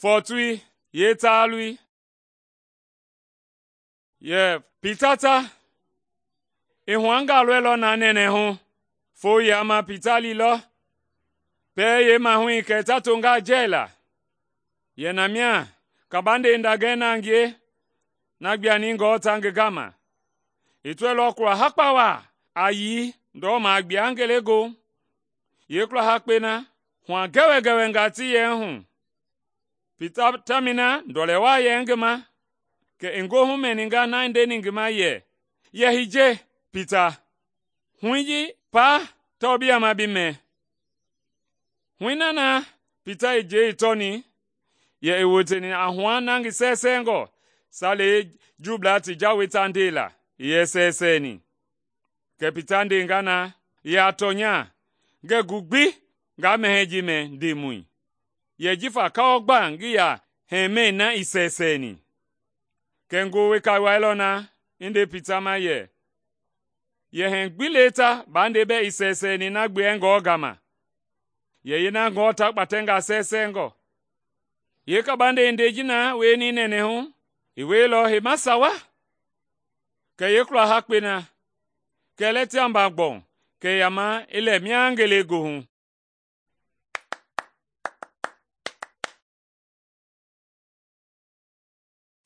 Fɔɔtui yeetaalui. Pita ta i huanga lɔilɔ na nɛnɛɛ hu. Foo yiama Pita liilɔ pɛɛ yeemahui kɛ ta tonga jɛɛla. Yɛ na mia kabande ndagɛi na ngie na gbianingɔ ta ngi gama. I tɔilɔ kula hakpa waa a yii ndɔma gbia ngelegoohu. Yeekula hakpɛi na hua gɛwɛgɛwɛnga ti yɛ hu. Pita tamɛi na ndɔlɛ waa yɛ ngi ma, kɛ i goohu mɛninga na i ndeni ngi ma yɛ, “Yɛ hiye, Pita, hui ji paa tawao bi yama bi mɛ.” Hui na na Pita i njɛi tɔni yɛ i woteni a hua na ngi sɛɛsɛngɔ Salei Juublaa ti jawei ta ndela i yɛ sɛɛsɛɛni. Kɛ Pita ndenga na yɛ a tɔnya, ngɛɛ gu gbi nga mɛhɛɛ ji mɛ Ndemɔi, yɛ jifa kawɔ gba ngii yaa hɛmɛi na i sɛɛsɛɛni. Kɛ ngoo weka wailɔ na i nde Pita ma yɛ, “Yɛhɛɛ gbi le ta bande bɛɛ i sɛɛsɛɛni na gbeengɔ gama, yɛ yeena ngɔ ta kpatɛnga sɛɛsɛngɔ.” Yeekabande i ndɛi ji na wieni nɛnɛɛ hu, i wieilɔ heima sawa. Kɛ yeekula hakpɛi na, kɛlɛtiamba gbɔu kɛ yama i lɛ mia ngelegoohu.